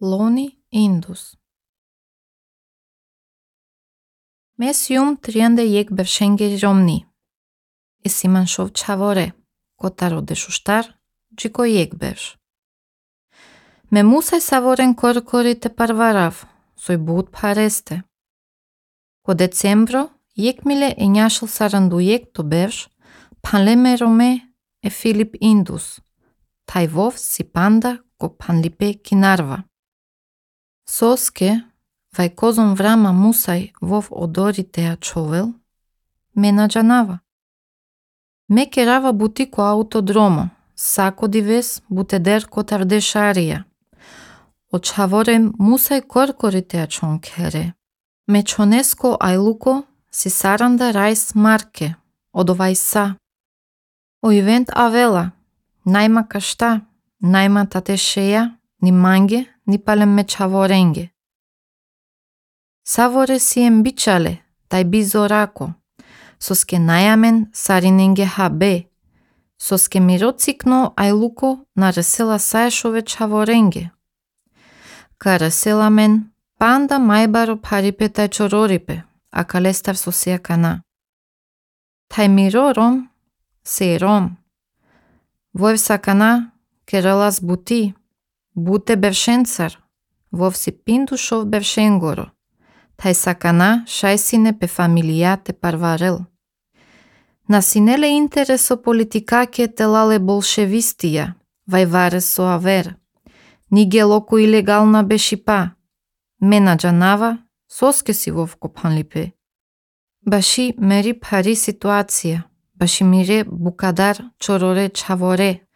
Loni Indus. Mes jum 31 bevshenge romni. E siman shov çavore, kotaro deshushtar, gjiko jek bevsh. Me musaj savoren korkori te parvarav, soj but pareste. Ko decembro, jekmile e njashëll sarandujek to bevsh, panleme rome e Filip Indus, tajvov si panda ko panlipe kinarva. Soske, vajkozon vrama musaj vov odori te ačovel, mena džanava. Me kerava butiko autodromo, sako dives buteder kotardesharia. Očavore musaj korkori te ačon kere. Me čonesko ajluko si saranda rajs marke, odovajsa. O event avela, najma kashta, najma tatesheja, ni mange, ni palem me čavorenge. Savore si embičale, taj bizorako, soske najamen sarinenge habe, soske mirocikno ajluko naresela sajšove čavorenge. Карасела мен панда мајбаро парипе тај чорорипе, а калестар сосија кана. Тај мирором се ром. Воев сакана кералас бути, буте бевшенцар, вов си пиндушов бевшенгоро. Тај сакана шајсине пе фамилијате парварел. Насинеле интересо политикаке телале болшевистија, вајваре со авер. Ниге локо илегална бешипа. Мена джанава, соске си вов копанлипе. Баши мери пари ситуација, баши мире букадар чороре чаворе.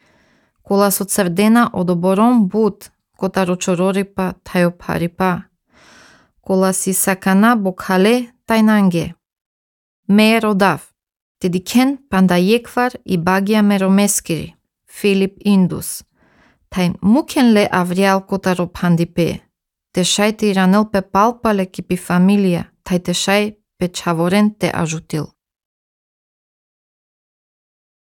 Кола со црдена одоборон бут, котаро чорорипа тајо парипа. Кола си сакана бокале тајнанге. Ме родав. Тедикен пандајеквар и багија меромескири. Филип Индус. Тај мукен ле авриал котаро пандипе. Тешај те иранел пе палпале кипи фамилија, тај тешај пе чаворен те ажутил.